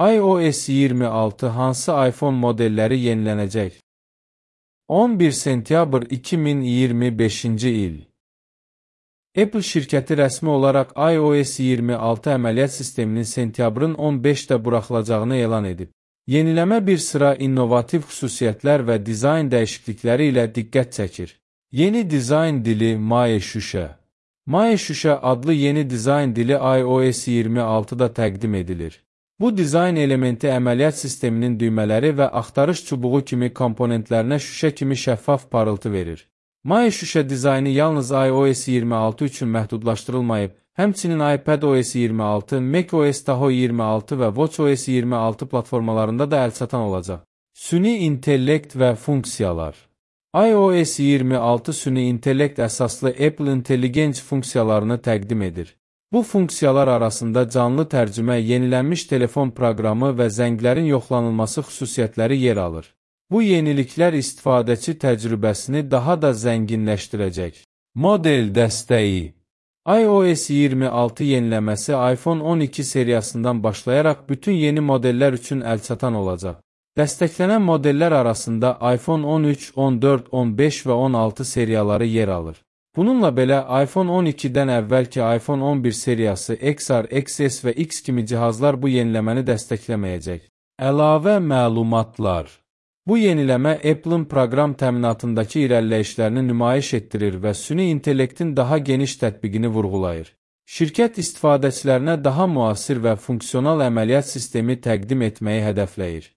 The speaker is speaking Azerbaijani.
iOS 26 hansı iPhone modelləri yenilənəcək? 11 sentyabr 2025-ci il. Apple şirkəti rəsmi olaraq iOS 26 əməliyyat sisteminin sentyabrın 15-də buraxılacağını elan edib. Yeniləmə bir sıra innovativ xüsusiyyətlər və dizayn dəyişiklikləri ilə diqqət çəkir. Yeni dizayn dili Maya Şuşa. Maya Şuşa adlı yeni dizayn dili iOS 26-da təqdim edilir. Bu dizayn elementi əməliyyat sisteminin düymələri və axtarış çubuğu kimi komponentlərinə şüşə kimi şəffaf parıltı verir. Maya Şuşa dizaynı yalnız iOS 26 üçün məhdudlaşdırılmayıb, həmçinin iPadOS 26, macOS Tahoe 26 və watchOS 26 platformalarında da əlçatan olacaq. Süni intellekt və funksiyalar. iOS 26 süni intellekt əsaslı Apple Intelligence funksiyalarını təqdim edir. Bu funksiyalar arasında canlı tərcümə, yenilənmiş telefon proqramı və zənglərin yoxlanılması xüsusiyyətləri yer alır. Bu yeniliklər istifadəçi təcrübəsini daha da zənginləşdirəcək. Model dəstəyi. iOS 26 yeniləməsi iPhone 12 seriyasından başlayaraq bütün yeni modellər üçün əlçatan olacaq. Dəstəklənən modellər arasında iPhone 13, 14, 15 və 16 seriyaları yer alır. Bununla belə, iPhone 12-dən əvvəlki iPhone 11 seriyası XR, XS və X kimi cihazlar bu yeniləməni dəstəkləməyəcək. Əlavə məlumatlar. Bu yeniləmə Apple-ın proqram təminatındakı irəliləyişlərini nümayiş etdirir və süni intellektin daha geniş tətbiqini vurğulayır. Şirkət istifadəçilərinə daha müasir və funksional əməliyyat sistemi təqdim etməyi hədəfləyir.